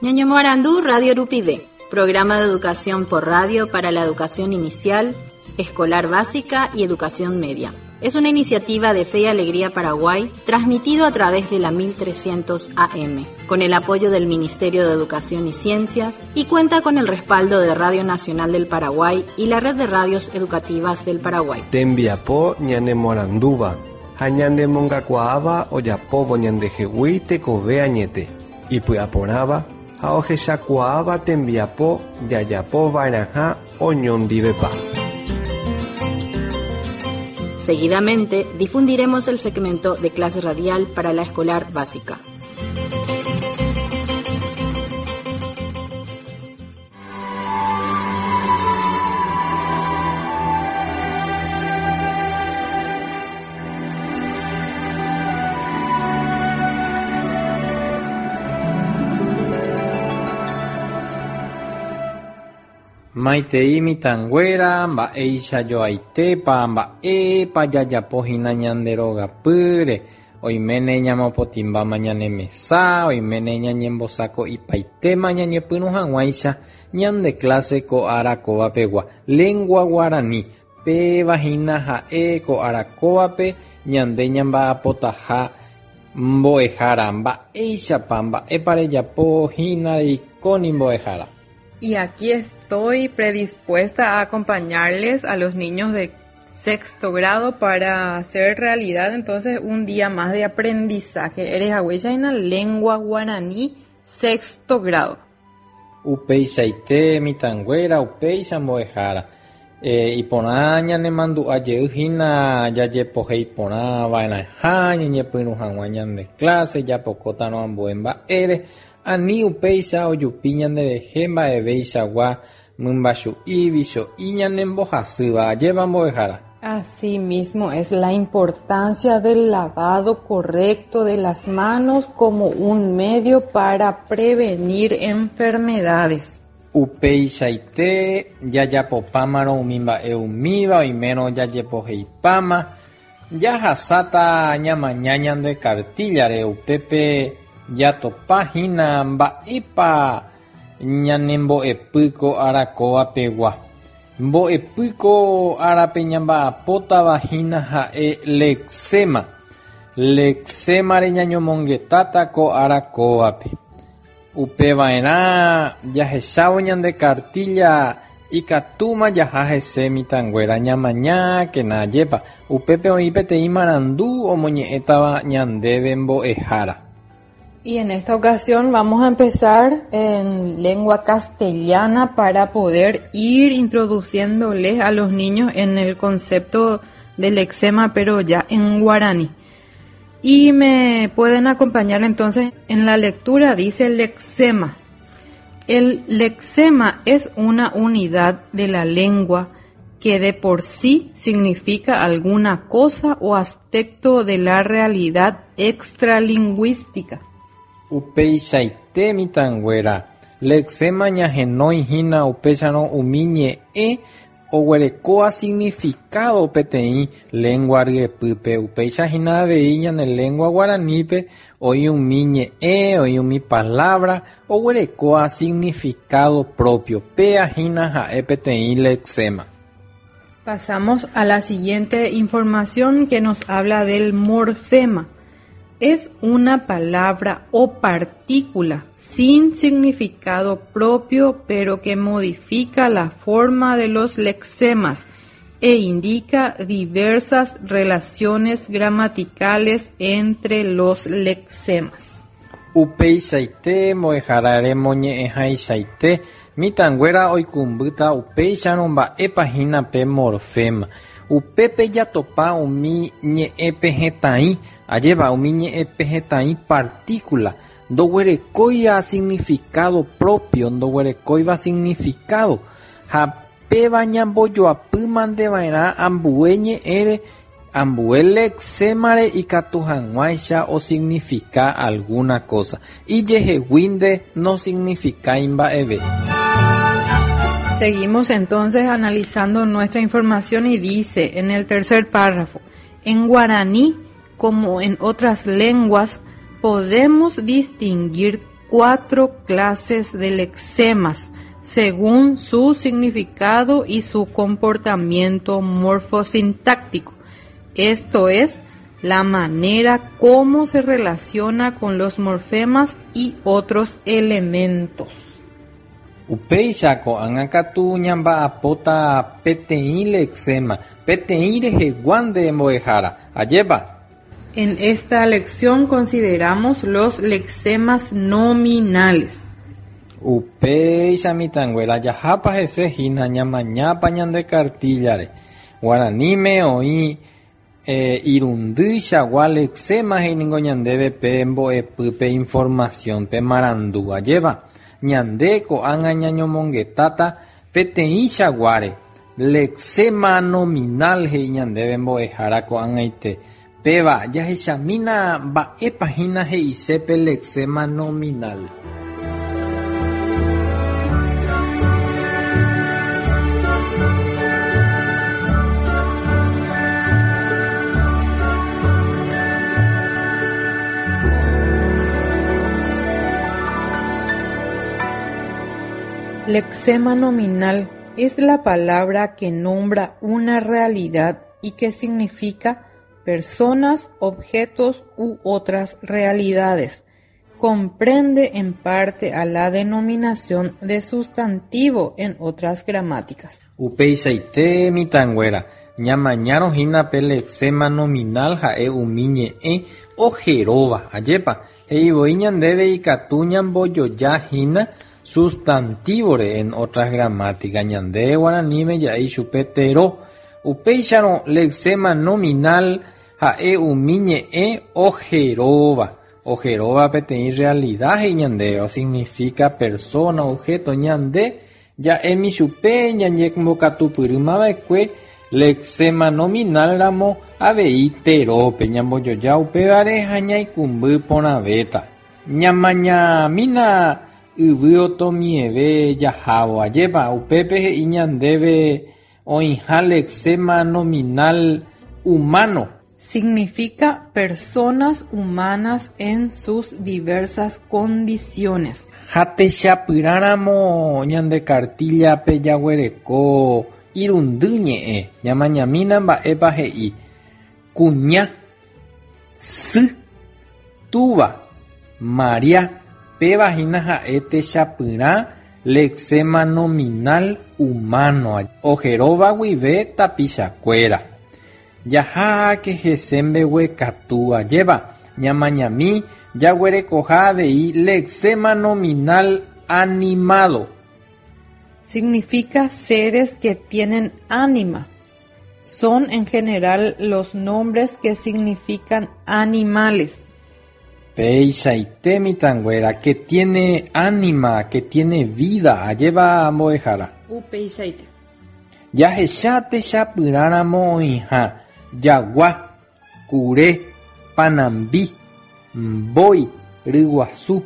Ñañemoarandu Radio Rupive, programa de educación por radio para la educación inicial, escolar básica y educación media. Es una iniciativa de Fe y Alegría Paraguay, transmitido a través de la 1300 AM, con el apoyo del Ministerio de Educación y Ciencias y cuenta con el respaldo de Radio Nacional del Paraguay y la Red de Radios Educativas del Paraguay. Tembiapo ñanemoarandúva ha ñanemongakuaáva ojapóvo ñandehegui tekove añete, ipy'aporãva ha ohechakuaáva tembiapo jajapova'erãha oñondivepa. Seguidamente difundiremos el segmento de clase radial para la escolar básica. Maitei mitãnguéra, mba'eichajoaitépa, mba'épa jajapo hína ñande rogapýre, oiméne ñamopotĩmbáma ñane mesa, oiméne ñañembosako'ipaitéma ñañepyrũ hag̃uáicha ñande clase ko ára kóva pegua. Lengua guarani, péva hína ha'e ko ára kóvape ñande ñamba'apotaha mbo'ehára. Mba'éichapa, mba'épa rejapo hína reikóni mbo'ehára. Y aquí estoy predispuesta a acompañarles a los niños de sexto grado para hacer realidad entonces un día más de aprendizaje. Eres en lengua guaraní sexto grado. Upeichaite mitãnguéra, upéicha mbo'ehára. E, iporã ñanemandu'a jey hína jajepohéi porã va'erãha ñañepyrũ hag̃ua ñande clase japokótarõ ambue mba'ére ani upéicha ojupi ñanderehe mba'eveichagua mymbachu'i vicho'i ñanembohasýva ajépa mbo'ehára. Asimismo es la importancia del lavado correcto de las manos como un medio para prevenir enfermedades. Upeichaite jajapopámarõ umi mba'e umíva oimérõ jajepoheipáma jahasáta ñamaña ñande cartilla-re upépe jatopa hína mba'épa ñanembo'epy ko ára kóva pegua. Mbo'epy ko árape ñamba'apótava hína ha'e lexema. Lexemare ñañomongetáta ko ára kóvape. Upeva'erã jahechávo ñande cartilla ikatúma jaha hese mitãnguéra ñamañákena ajépa upépe oĩ peteĩ marandu omoñe'ẽtava ñandéve mbo'ehára. Y en esta ocasión vamos a empezar en lengua castellana para poder ir introduciéndoles a los niños en el concepto del lexema, pero ya en guaraní. Y me pueden acompañar entonces en la lectura, dice lexema. El lexema es una unidad de la lengua que de por sí significa alguna cosa o aspecto de la realidad extralingüística. Upeichaite mitãnguéra, lexema ñahenói hína upéicharõ umi ñe'ẽ oguerekóva significado peteĩ lengua ryepýpe. Upéicha hína avei ñane lengua guaranípe oĩ umi ñe'ẽ, oĩ umi palabra oguerekóva significado propio. Péa hína ha'e peteĩ lexema. Pasamos a la siguiente información que nos habla del morfema. Es una palabra o partícula sin significado propio, pero que modifica la forma de los lexemas e indica diversas relaciones gramaticales entre los lexemas. Upeichaite mbo'ehára remoñe'ẽhaichaite mitãnguéra oikũmbýta upéicharõ mba'épa hína pe morfema. Upépe jatopa umi ñe'ẽpehẽtai, ajépa umi ñe'ẽpehẽtai partícula ndoguerekóiva significado propio, ndoguerekóiva significado ha péva ñambojoapýmanteva'erã ambue ñe'ẽre ambue lexemare ikatu hag̃uáicha osignifica alguna cosa. Ijeheguínte no significa mba'eve. Seguimos entonces analizando nuestra información y dice en el tercer párrafo, en guaraní, como en otras lenguas, podemos distinguir Cuatro clases de lexemas según su significado y su comportamiento morfosintáctico. Esto es, la manera como se relaciona con los morfemas y otros elementos. Upéicha ko'ág̃a katu ñamba'apóta peteĩ lexema, peteĩ rehegua nde mbo'ehára. Ajépa? En esta lección consideramos los lexemas nominales. Upéicha mitãnguéra jahápa hese hína ñamañápa ñande cartilla-re. Guaraníme oĩ irundyichagua lexema he'i ningo ñandéve pe mbo'epy pe información pe marandu. Ajépa? Ñande ko'ág̃a ñañomongetáta peteĩchaguáre. Lexema nominal he'i ñandéve mbo'ehára ko'ag̃aite. Péva jahechamína mba'épa hína he'ise pe lexema nominal. Lexema nominal es la palabra que nombra una realidad y que significa personas, objetos u otras realidades. Comprende en parte a la denominación de sustantivo en otras gramáticas. Upeichaite mitãnguéra, ñamañárõ hína pe lexema nominal ha'e umi ñe'ẽ oheróva. Ajépa, he'ivoi ñandéve ikatu ñambojoja hína sustantivo-re en otras gramáticas. Ñande guaraníme ja'e ichupe tero. Upéicharõ lexema nominal ha'e umi ñe'ẽ oheróva. Oheróva peteĩ realidad he'i ñandéve, o significa persona, objeto. Ñande ja'émi chupe ñañembokatupyrýmava'ekue lexema nominal ramo avei terópe ñambojoja upévare ha ñaikũmby porãvéta. Ñamañamína yvy otomieve jahávo. Ajépa, upépe he'i ñandéve oĩha lexema nominal humano. Significa personas humanas en sus diversas condiciones. Ha techapyrãramo ñande cartilla-pe jaguereko irundy ñe'ẽ. Ñamañamína mba'épa he'i. Kuña, sy, túva, Maria, péva hína ha'e techapyrã lexema nominal humano. Oheróva guive tapichakuéra. Jaháke hese mbeguekatu. Ajépa, ñamañami jaguerekoha avei lexema nominal animado. Significa seres que tienen ánima. Son en general los nombres que significan animales. Peichaite mitãnguéra, que tiene ánima, que tiene vida. Ajépa mbo'ehára. Upeichaite. Jahecha techapyrãramo oĩha jagua, kure, panambi, mbói, ryguasu.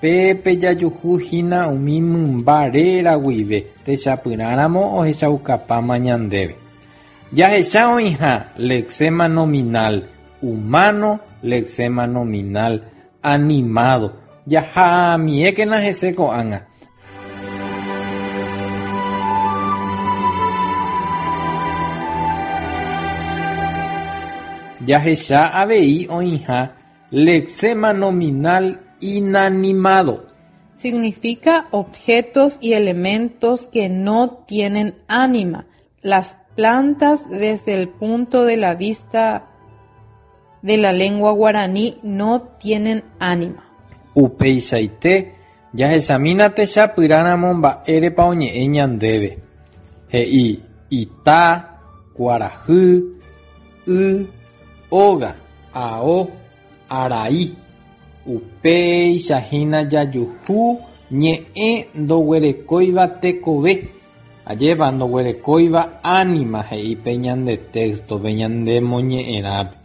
Pépe jajuhu hína umi mymba réra guive techapyrãramo ohechaukapáma ñandéve. Jahecha oĩha lexema nominal humano, lexema nominal animado. Jahamiékena hese ko'ág̃a. Jahecha avei oĩha lexema nominal inanimado. Significa objetos y elementos que no tienen ánima. Las plantas desde el punto de la vista de la lengua guaraní no tienen ánima. Upeichaite jahechamína techapyrãramo mba'érepa oñe'ẽ ñandéve. He'i ita, kuarahy, y, óga, ao, arai. Upéicha hína jajuhu ñe'ẽ ndoguerekóiva tekove. Ajépa ndoguerekóiva ánima he'i pe ñande texto pe ñande moñe'ẽrãpe.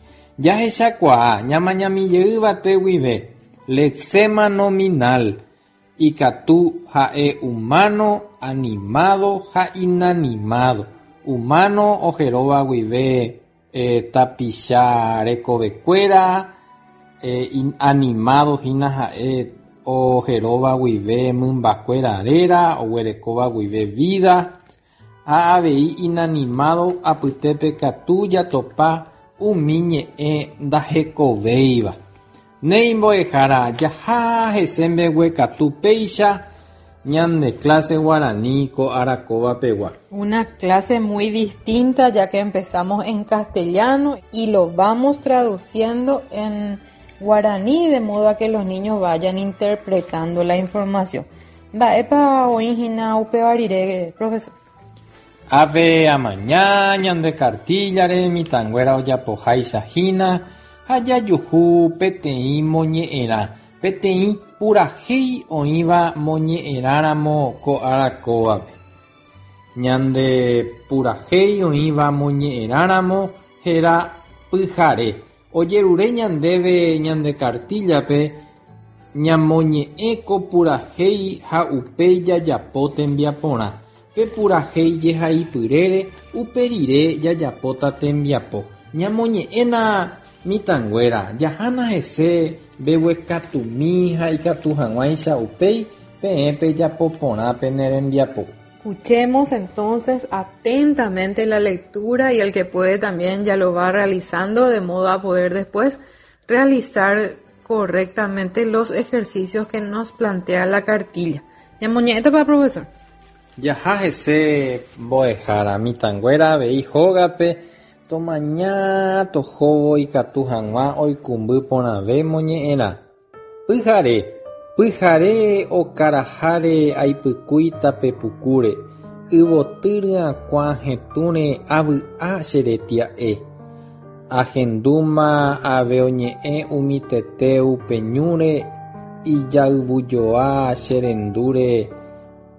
Jahechakuaa ñamañamijeýva guive lexema nominal ikatu ha'e humano, animado ha inanimado. Humano oheróva guive tapicha rekovekuéra, animado hína ha'e oheróva guive mymbakuéra réra, oguerekóva guive vida, ha avei inanimado apytépe katu jatopa umi ñe'ẽ ndahekovéiva. Néi mbo'ehára, jaha hese mbeguekatu péicha ñande clase guarani ko ára kóva pegua. Una clase muy distinta ya que empezamos en castellano y lo vamos traduciendo en guaraní de modo a que los niños vayan interpretando la información. Mba'épa oĩ hína upéva rire, profesor? Ápe amaña ñande kartíllare mitãnguéra ojapoháicha hína ha jajuhu peteĩ moñe'ẽrã, peteĩ purahéi oĩva moñe'ẽrãramo ko ára kóvape. Ñande purahéi oĩva moñe'ẽrãramo héra Pyhare. Ojerure ñandéve ñande kartíllape ñamoñe'ẽ ko purahéi ha upéi jajapo tembiaporã. Pe purahéi jehaipyrére upe rire jajapóta tembiapo. Ñamoñe'ẽna mitãnguéra, jahána hese mbeguekatumi ha ikatu hag̃uáicha upéi peẽ pejapo porã pene rembiapo. Escuchemos entonces atentamente la lectura y el que puede también ya lo va realizando de modo a poder después realizar correctamente los ejercicios que nos plantea la cartilla. Ñamoñe'ẽtapa, profesor. Jaha hese mbo'ehára mitãnguéra avei hógape tomaña tohóvo ikatu hag̃ua oikũmby porãve moñe'ẽrã. Pyhare, pyhare okaraháre aipykúi tape pukúre, yvoty ryakuã hetũre avy'a che retia'e. Ahendúma ave oñe'ẽ umi tete upe ñúre, ijayvujoa che rendúre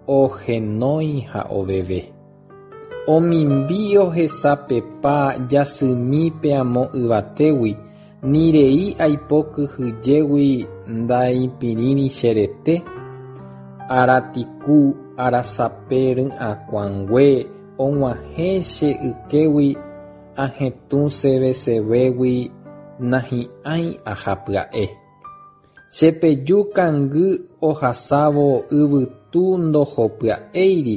ohenói ha oveve. Omimbi ohesapepa jasymi pe amo yvatégui, ni rei aipo kyhyjégui ndaipirĩri che rete, aratiku arasape ry'akuãngue og̃uahẽ che ykégui ahetũ sevesevégui nahi'ãi aha pya'e. Chepeju kangy ohasávo yvytu ndohopya'éiri,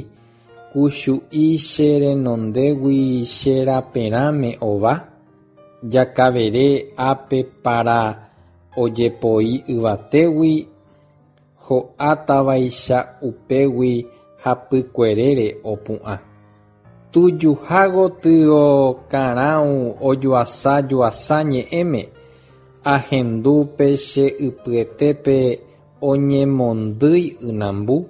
kuchu'i che renondégui che raperãme ova, jakavere ápe para ojepoi yvatégui, ho'átavaicha upégui hapykuerére opu'ã. Tujuha gotyo karãu ojuasa juasa ñe'ẽme, ahendu pe che ypyetépe oñemondýi ynambu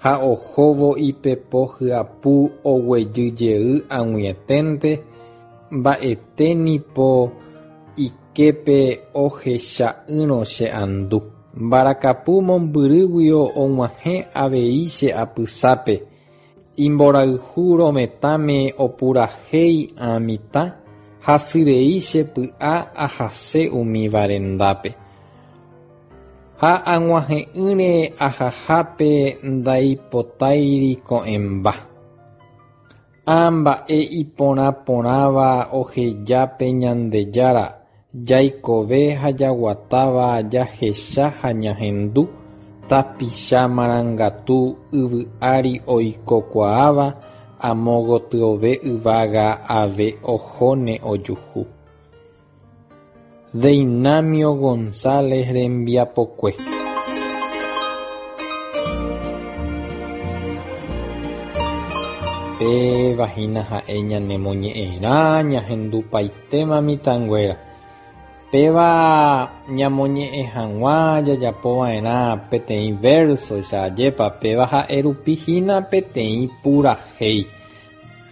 ha ohóvo ipepo hyapu oguejyjey ag̃uieténte, mba'ete nipo iképe ohecha'ỹrõ che andu. Mbarakapu mombyrýguio og̃uahẽ avei che apysápe, imborayhu rovetãme opurahéi ã mitã, hasyrei che py'a ahase umíva rendápe. Ha ag̃uahẽ'ỹre ahahápe ndaipotáiri ko'ẽmba. Ã mba'e iporã porãva oheja pe Ñandejára, jaikove ha jaguatáva jahecha ha ñahendu, tapicha marangatu yvy ári oikokuaáva, amo gotyove yvága ave ohóne ojuhu. Deinamio González rembiapokue. Péva hína ha'e ñanemoñe'ẽrã ñahendupaitéma mitãnguéra. Péva ñamoñe'ẽ hag̃ua jajapova'erã peteĩ verso-icha ajépa péva ha'e rupi hína peteĩ purahéi.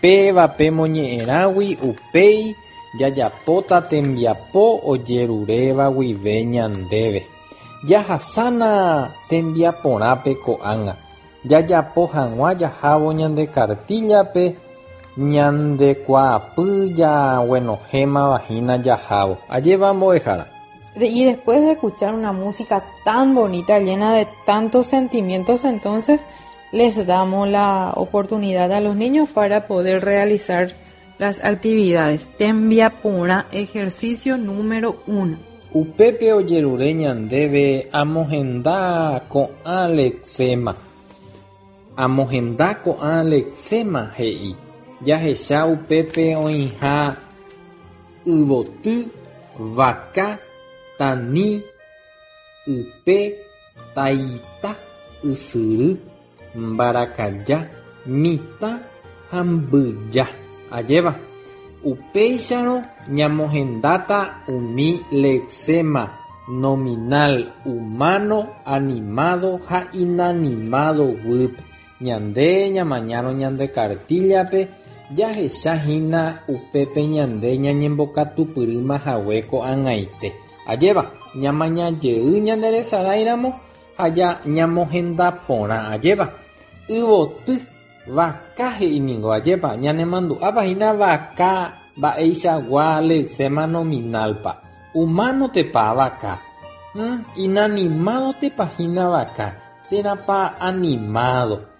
Péva pe moñe'ẽrãgui upéi jajapóta tembiapo ojeruréva guive ñandéve. Jahasána tembiaporãpe ko'ág̃a. Jajapo hag̃ua jahávo ñande kartíllape ñandekuaapy jaguenohẽmava hína jahávo. Ajépa mbo'ehára. Y después de escuchar una música tan bonita, llena de tantos sentimientos, entonces les damos la oportunidad a los niños para poder realizar las actividades. Tembiaporã, ejercicio número 1. Upépe ojerure ñandéve amohenda ko'ã lexema. Amohenda ko'ã lexema he'i. Jahecha upépe oĩha yvoty, vaka, tani, ype, taita, ysyry, mbarakaja, mitã ha mbyja. Ajépa? Upéicharõ ñamohendáta umi lexema nominal humano, animado ha inanimado guýpe. Ñande ñamañárõ ñande kartíllape jahecha hína upépe ñande ñañembokatupyrýma hague ko'ag̃aite. Ajépa? Ñamaña jey ñanderesaráiramo ha ñamohenda porã. Ajépa? Yvoty, vaka he'i ningo. Ajépa? Ñanemandu'ápa hína vaka mba'eichagua lexema nominal-pa. Humano-tepa vaka. Inanimado-tepa hína vaka. Térãpa animado.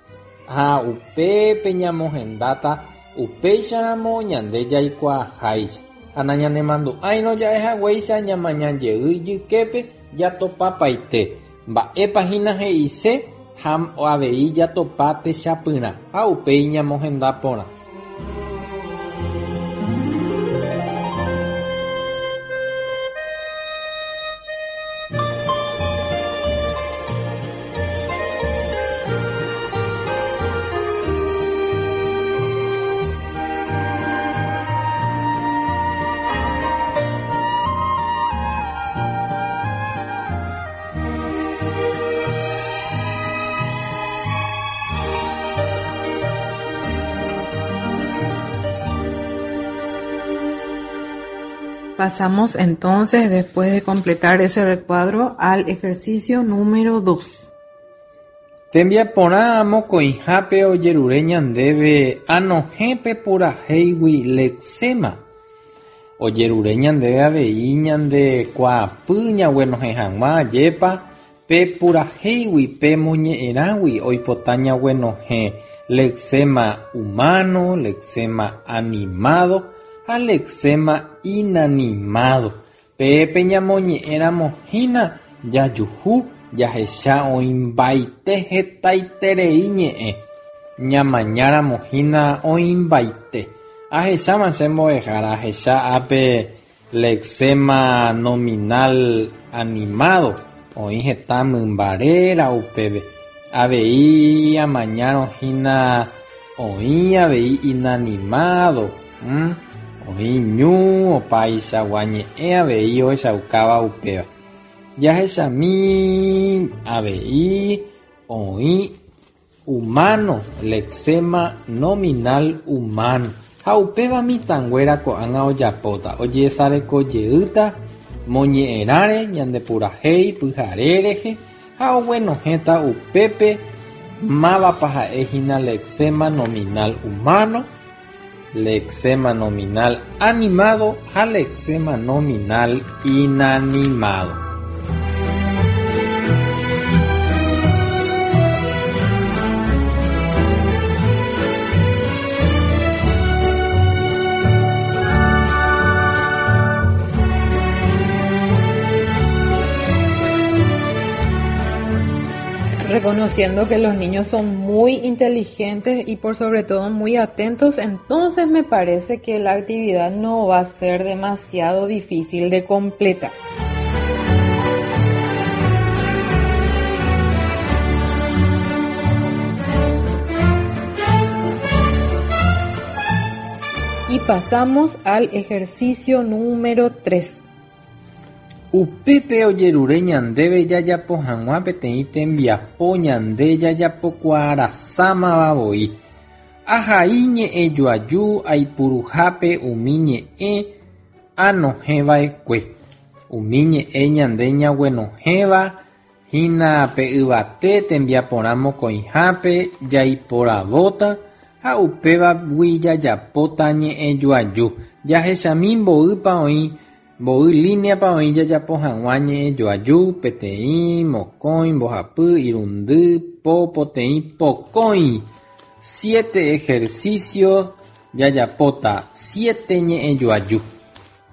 Ha upépe ñamohendáta upéicharamo ñande jaikuaaháicha. Ha nañanemandu'áirõ ja'ehaguéicha ñamaña jey ijyképe jatopapaite. Mba'épa hína he'ise ha avei jatopa techapyrã ha upéi ñamohenda porã. Pasamos entonces, después de completar ese recuadro, al ejercicio número 2. Tembiaporã mokõihápe ojerure ñandéve anohẽ pe purahéigui lexema. Ojerure ñandéve avei ñande kuaapy ñaguenohẽ hag̃ua ajépa pe purahéigui pe moñe'ẽrãgui oipota ñaguenohẽ lexema humano, lexema animado ha lexema inanimado. Pépe ñamoñe'ẽramo hína jajuhu jahecha oĩmbaite hetaiterei ñe'ẽ. Ñamañáramo hína oĩmbaite. Ahecháma che mbo'ehára ahecha ápe lexema nominal animado oĩ heta mymba réra upépe. Avei amañárõ hína oĩ avei inanimado. Oĩ ñu opaichagua ñe'ẽ avei ohechaukáva upéva. Jahechami avei oĩ humano, lexema nominal humano. Ha upéva mitãnguéra ko'ág̃a ojapóta. Ojesarekojeýta moñe'ẽrãre ñande purahéi pyhare rehe ha oguenohẽta upépe mávapa ha'e hína lexema nominal humano, lexema nominal animado ha lexema nominal inanimado. Reconociendo que los niños son muy inteligentes y por sobre todo muy atentos, entonces me parece que la actividad no va a ser demasiado difícil de completar. Y pasamos al ejercicio número 3. Upépe ojerure ñandéve jajapo hag̃ua peteĩ tembiapo ñande jajapokuaarasámava voi. Ahai ñe'ẽjoaju aipuruhápe umi ñe'ẽ anohẽva'ekue. Umi ñe'ẽ ñande ñaguenohẽva hína pe yvate tembiaporã mokõihápe jaiporavóta ha upévagui jajapóta ñe'ẽjoaju. Jahechami mboýpa oĩ mboy líneapa oĩ jajapo hag̃ua ñe'ẽjoaju peteĩ, mokõi, mbohapy, irundy, po, poteĩ, pokõi. Siete ejercicio jajapóta siete ñe'ẽjoaju.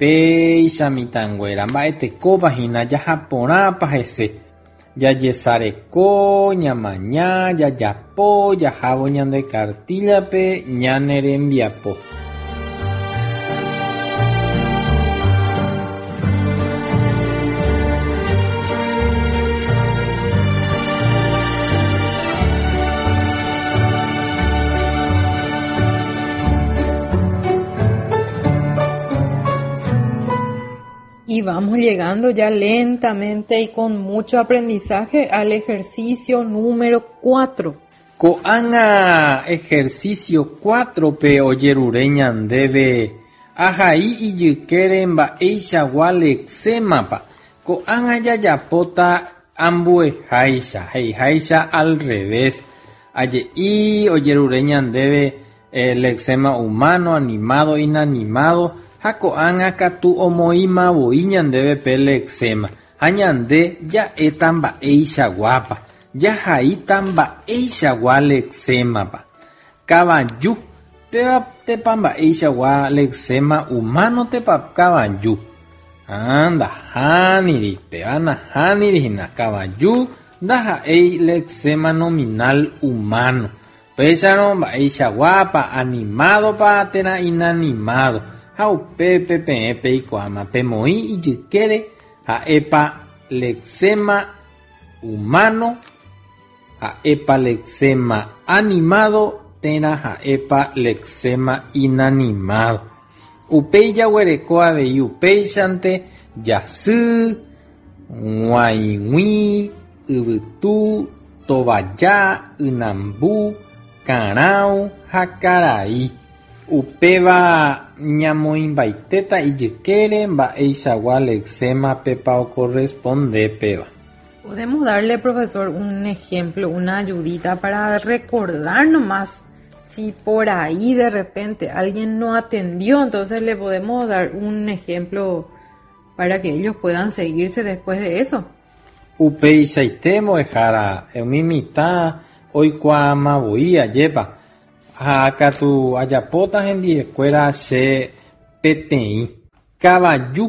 Péicha mitãnguéra mba'etekópa hína jaha porãpa hese. Jajesareko, ñamaña, jajapo, jahávo ñande kartíllape ñane rembiapo. Y vamos llegando ya lentamente y con mucho aprendizaje al ejercicio número 4. Ko'ág̃a ejercicio 4-pe ojerure ñandéve ahai ijykére mba'eichagua lexémapa. Ko'ág̃a jajapóta ambueháicha, he'iháicha al revés. Aje'i ojerure ñandéve lexema humano, animado, inanimado ha ko'ág̃a katu omoĩmavoi ñandéve pe lexema ha ñande ja'éta mba'eichaguápa, jahaíta mba'eichagua lexémapa. Kavaju, péva tepa mba'eichagua lexema humano tepa kavaju. Ha ndahániri, péva nahániri hína, kavaju ndaha'éi lexema nominal humano. Péicharõ mba'eichaguápa, animádopa térã inanimado ha upépe peẽ peikuaáma pemoĩ ijykére ha'épa lexema humano, ha'épa lexema animado térã ha'épa lexema inanimado. Upéi jaguereko avei upéichante jasy, g̃uaig̃ui, yvytu, tovaja, ynambu, karãu ha karai. Upéva ñamoĩmbaitéta ijykére mba'eichagua lexémapepa okorresponde péva. Podemos darle, profesor, un ejemplo, una ayudita para recordar nomás si por ahí de repente alguien no atendió, entonces le podemos dar un ejemplo para que ellos puedan seguirse después de eso. Upeichaite mbo'ehára umi mitã oikuaamavoi ajépa ha katu ajapóta hendiekuéra che peteĩ kavaju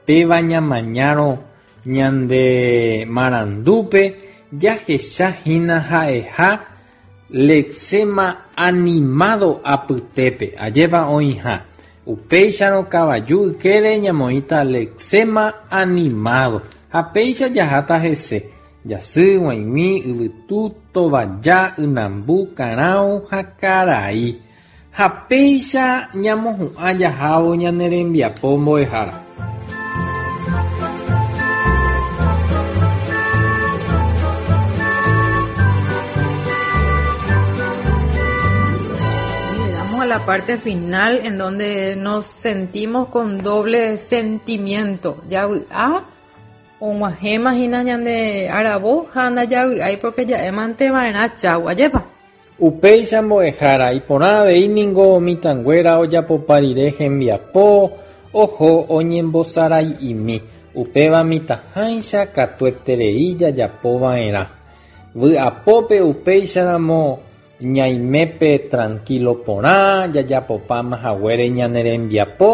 péva ñamañárõ ñande marandúpe jahechahína ha'eha lexema animado apytépe ajépa oĩha upéicharõ kavaju ykére ñamoĩta lexema animado ha péicha jaháta hese jasy, g̃uaig̃ui, yvytu, tovaja, ynambu, karãu ha karai. Ha péicha ñamohu'ã jahávo ñane rembiapo mbo'ehára. Llegamos a la parte final en donde nos sentimos con doble sentimiento. Javy'a og̃uahẽma hína ñande aravo ha ndajavy'ái porque ja'émanteva'erã cháu, ajépa. Upéicha mbo'ehára iporã avei ningo mitãnguéra ojapopa rire hembiapo oho oñembosarai'imi upéva mitãháicha katueterei jajapova'erã. Vy'apópe upéicharamo ñaimépe tranquilo porã jajapopáma haguére ñane rembiapo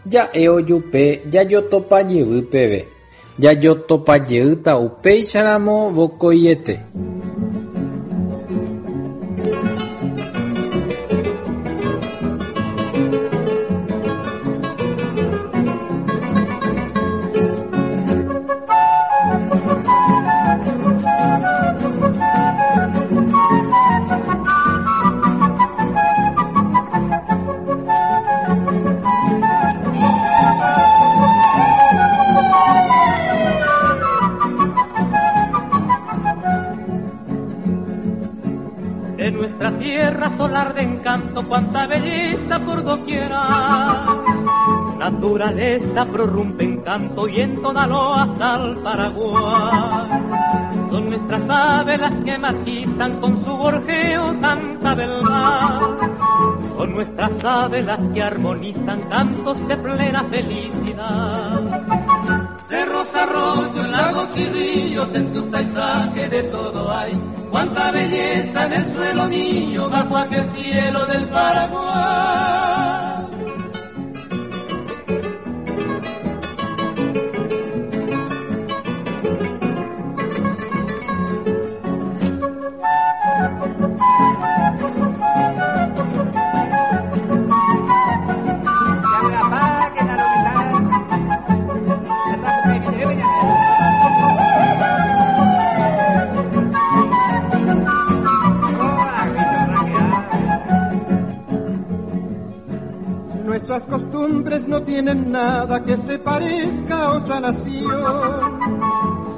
ja'e ojupe jajotopajey peve. Jajotopajeýta upéicharamo vokoiete. De nuestra tierra solar de encanto, cuánta belleza por doquiera. Naturaleza prorrumpe en canto y en toda loas al Paraguay. Son nuestras aves las que matizan con su gorjeo tanta beldad. Son nuestras aves las que armonizan cantos de plena felicidad. Cerros, arroyos, lagos y ríos, en tu paisaje de todo hay. Cuánta belleza en el suelo mío, bajo aquel cielo del Paraguay. No tienen nada que se parezca a otra nación.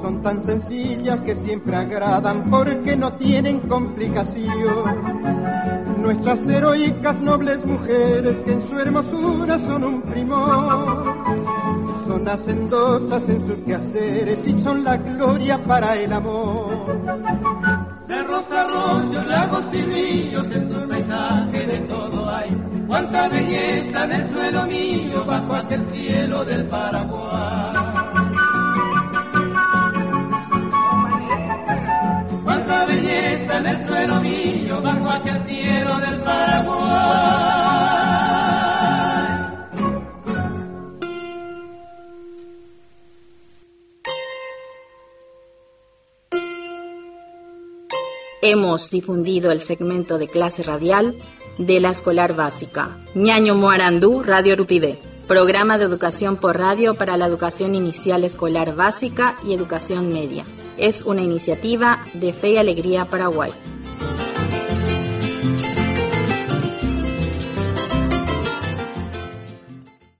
Son tan sencillas que siempre agradan porque no tienen complicación. Nuestras heroicas nobles mujeres que en su hermosura son un primor. Son hacendosas en sus quehaceres y son la gloria para el amor. Cerros, arroyos, lagos y ríos, en tu paisaje de todo hay. Cuánta belleza en el suelo mío, bajo aquel cielo del Paraguay. Cuánta belleza en el suelo mío, bajo aquel cielo del Paraguay. Hemos difundido el segmento de clase radial de la escolar básica. Ñaño Moarandú, Radio Rupivé. Programa de educación por radio para la educación inicial escolar básica y educación media. Es una iniciativa de Fe y Alegría Paraguay.